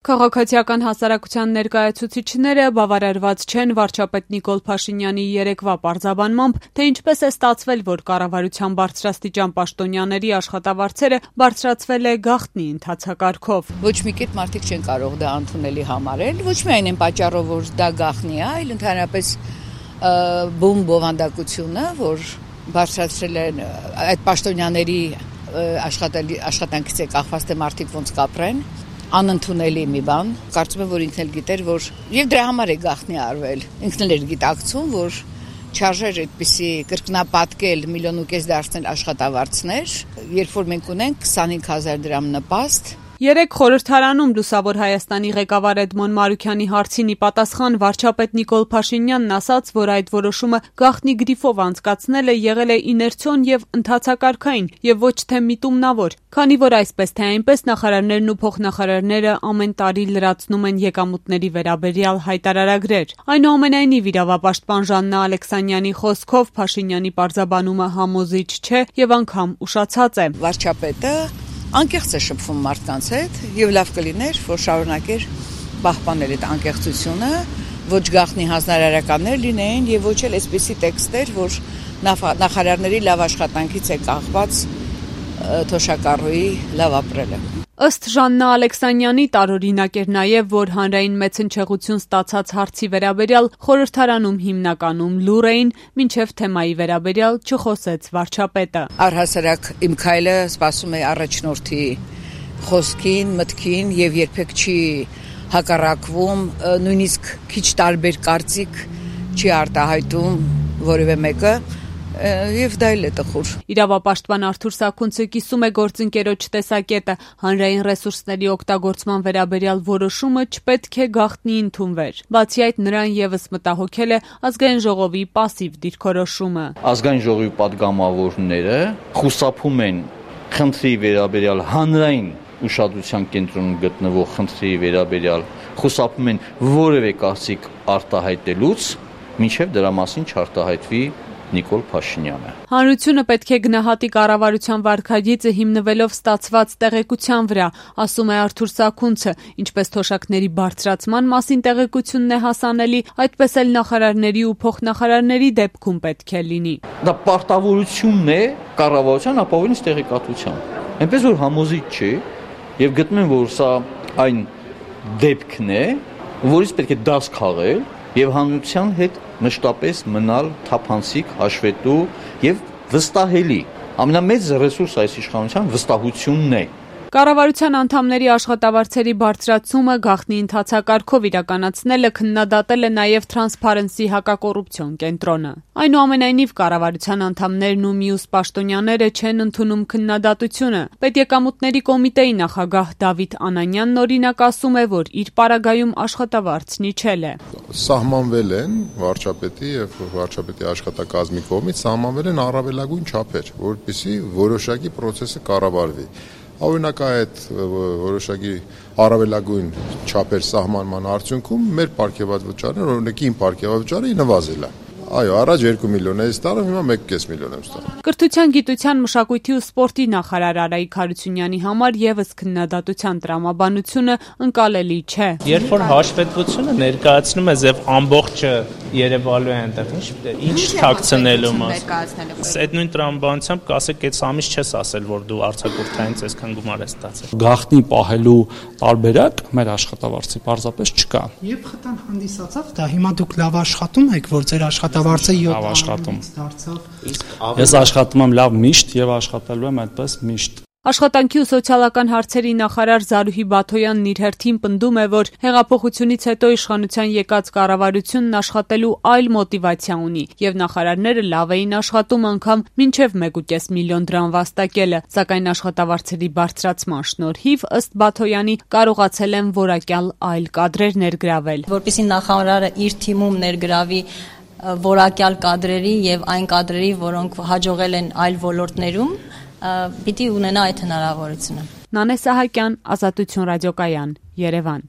Քաղաքացիական հասարակության ներկայացուցիչները բավարարված չեն վարչապետ Նիկոլ Փաշինյանի երեկվա պարզաբանմամբ, թե ինչպես է ստացվել, որ կառավարության բարձրաստիճան պաշտոնյաների աշխատավարձերը բարձրացվել է գաղտնի ընթացակարգով։ Ոչ մի կերպ մարդիկ չեն կարող դա ընդունելի համարել, ոչ միայն այն պատճառով, որ դա գաղտնի է, այլ ընդհանրապես բում բովանդակությունը, որ բարձրացրել են այդ պաշտոնյաների աշխատանքից է կախված, թե մարդիկ ոնց կապրեն, անընդունելի մի բան, կարծում եմ, որ ինքն էլ գիտեր, որ եւ դրա համար է գաղտնի արվել, ինքն էլ էր գիտակցում, որ չարժեր այդպիսի կրկնապատկել 1,5 միլիոն դարձնել աշխատավարձներ, երբ որ մենք ունենք 25,000 դրամ նպաստ։ Երեկ խորհրդարանում Լուսավոր Հայաստանի ղեկավար Էդմոն Մարուքյանի հարցին ի պատասխան վարչապետ Նիկոլ Փաշինյանն ասաց, որ այդ որոշումը գաղտնի գրիֆով անցկացնելը եղել է իներցիոն եւ ընդհանցակարգային եւ ոչ թե միտումնավոր, քանի որ այսպես թե այնպես նախարարներն ու փոխնախարարները ամեն տարի լրացնում են եկամուտների վերաբերյալ հայտարարագրեր։ Այնուամենայնիվ իրավապաշտպան Ժաննա Ալեքսանյանի խոսքով Փաշինյանի պարզաբանումը համոզիչ չէ եւ անգամ ուշացած է։ Վարչապետը անկեղծ է շփվում մարդկանց հետ եւ լավ կլիներ, որ շարունակեր պահպանել այդ անկեղծությունը, ոչ գաղտնի հանձնարարականներ լինեին եւ ոչ էլ այսպիսի տեքստեր, որ նախարարների լավ աշխատանքից է կախված թոշակառուի լավ ապրելը։ Ըստ Ժաննա Ալեքսանյանի տարօրինակ էր նաև, որ հանրային մեծ հնչեղություն ստացած հարցի վերաբերյալ խորհրդարանում հիմնականում լուռ էին, մինչև թեմայի վերաբերյալ չխոսեց վարչապետը։ Առհասարակ իմ քայլը սպասում է առաջնորդի խոսքին, մտքին եւ երբեք չի հակառակվում, նույնիսկ քիչ տարբեր կարծիք չի արտահայտում որևէ մեկը։ Եվ դա էլ է տխուր։ Իրավապաշտպան Արթուր Սաքունցը կիսում է գործընկերոջ տեսակետը, հանրային ռեսուրսների օգտագործման վերաբերյալ որոշումը չպետք է գաղտնի ընդունվեր։ Բացի այդ, նրան եւս մտահոգել է ազգային ժողովի պասիվ դիրքորոշումը։ Ազգային ժողովի պատգամավորները խուսափում են խնդրի վերաբերյալ հանրային ուշադրության կենտրոնում գտնվող խնդրի վերաբերյալ, խուսափում են որևէ կարծիք արտահայտելուց, մինչև դրա մասին չարտահայտվի Նիկոլ Փաշինյանը։ Հանրությունը պետք է գնահատի կառավարության վարքագիծը հիմնվելով ստացված տեղեկության վրա, ասում է Արթուր Սաքունցը, ինչպես թոշակների բարձրացման մասին տեղեկությունն է հասանելի, այդպես էլ նախարարների ու փոխնախարարների դեպքում պետք է լինի։ Դա պարտավորությունն է կառավարության ապահովելիս տեղեկատվության։ Այնպես որ համոզիչ չի եւ գտնում եմ, որ սա այն դեպքն է, որից պետք է դաս քաղել եւ հանրության հետ մշտապես մնալ թափանցիկ, հաշվետու եւ վստահելի։ Ամենամեծ ռեսուրս այս իշխանության վստահությունն է։ Կառավարության անդամների աշխատավարձերի բարձրացումը գաղտնի ընթացակարգով իրականացնելը քննադատել է նաև Transparency հակակոռուպցիոն կենտրոնը։ Այնուամենայնիվ կառավարության անդամներն ու մյուս պաշտոնյաները չեն ընդունում քննադատությունը։ Պետեկամուտների կոմիտեի նախագահ Դավիթ Անանյանն օրինակ ասում է, որ իր պարագայում աշխատավարձն իջել է։ Սահմանվել են վարչապետի եւ վարչապետի աշխատակազմի կողմից սահմանվել են առավելագույն չափեր, որպեսզի որոշակի process-ը կառավարվի։ Օրինակ այդ որոշակի առավելագույն չափեր սահմանման արդյունքում մեր պարգևավճարը, օրինակ իմ պարգևավճարը նվազել է։ Այո, առաջ 2 միլիոն էի ստանում, հիմա 1,5 միլիոն եմ ստանում։ Կրթության, գիտության, մշակույթի ու սպորտի նախարար Արայիկ Հարությունյանի համար եւս քննադատության տրամաբանությունը ընկալելի չէ։ Երբ որ հաշվետվությունը ներկայացնում է եւ ամբողջը երևալու է այնտեղ, ինչ թաքցնելու մաս։ Այդ նույն տրամաբանությամբ կասեք, այս ամիս չես ասել, որ դու արձակուրդայինից այսքան գումար ես ստացել։ Գաղտնի պահելու տարբերակ մեր աշխատավարձի պարզապես չկա։ Երբ խթան հանդիսացավ, դա հիմա դուք լավ աշխատում եք, որ ձեր աշխատավարձը 7 աշխատում դարձավ։ Ես աշխատում եմ լավ միշտ եւ աշխատելու եմ այդպես միշտ։ Աշխատանքի ու սոցիալական հարցերի նախարար Զարուհի Բաթոյանն իր հերթին պնդում է, որ հեղափոխությունից հետո իշխանության եկած կառավարությունն աշխատելու այլ մոտիվացիա ունի եւ նախարարները լավ էին աշխատում անգամ մինչեւ 1,5 միլիոն դրամ վաստակելը, սակայն աշխատավարձերի բարձրացման շնորհիվ ըստ Բաթոյանի կարողացել են որակյալ այլ կադրեր ներգրավել։ Որպեսզի նախարարը իր թիմում ներգրավի որակյալ կադրերի եւ այն կադրերի, որոնք հաջողել են այլ ոլորտներում, պիտի ունենա այդ հնարավորությունը։ Նանե Սահակյան, Ազատություն ռադիոկայան, Երևան։